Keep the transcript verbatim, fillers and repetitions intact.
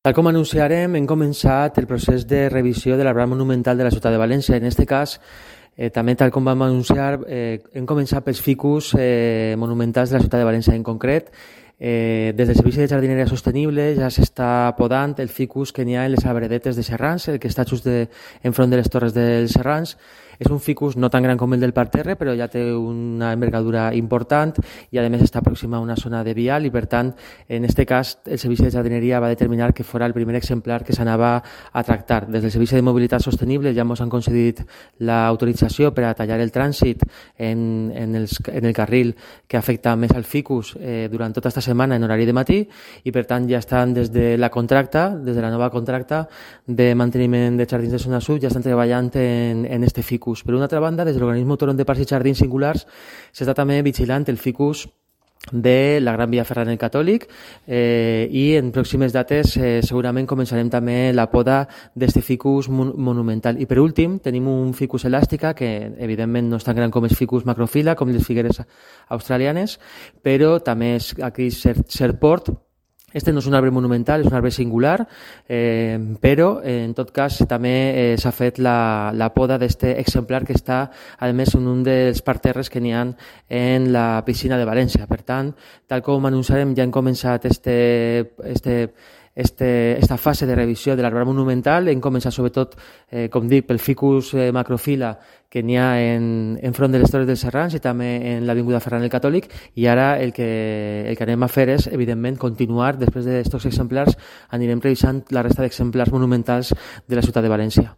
Tal com anunciarem, hem començat el procés de revisió de l'arbre monumental de la ciutat de València. En aquest cas, eh, també tal com vam anunciar, eh, hem començat pels ficus eh, monumentals de la ciutat de València. En concret, eh, des del Servici de Jardineria Sostenible ja s'està podant el ficus que n'hi ha en les arbredetes de Serrans, el que està just de, enfront de les torres dels Serrans. És un ficus no tan gran com el del parterre, però ja té una envergadura important i a més està pròxima a una zona de vial i per tant, en aquest cas, el Servici de Jardineria va determinar que fos el primer exemplar que s'anava a tractar. Des del Servici de Mobilitat Sostenible ja ens han concedit l'autorització per a tallar el trànsit en, en, els, en el carril que afecta més al ficus eh, durant tota aquesta setmana en horari de matí i per tant ja estan des de la contracta, des de la nova contracta de manteniment de jardins de zona sud, ja estan treballant en, en este ficus. Per una altra banda, des de l'Organisme Autònom de Parcs i Jardins Singulars s'està també vigilant el ficus de la Gran Via Ferran el Catòlic eh, i en pròximes dates eh, segurament començarem també la poda d'este ficus mon monumental. I per últim tenim un ficus elàstica que evidentment no és tan gran com el ficus macrofila, com les figueres australianes, però també és aquí serport. Este no és un arbre monumental, és un arbre singular, eh, però eh, en tot cas també eh, s'ha fet la, la poda d'aquest exemplar que està, a més, en un dels parterres que n'hi ha en la piscina de València. Per tant, tal com anunciarem, ja hem començat este, este, este, esta fase de revisió de l'arbre monumental. Hem començat sobretot, eh, com dic, pel ficus eh, macrofila que n'hi ha en, en front de les Torres dels Serrans i també en l'Avinguda Ferran el Catòlic, i ara el que, el que anem a fer és, evidentment, continuar, després d'aquests exemplars, anirem revisant la resta d'exemplars monumentals de la ciutat de València.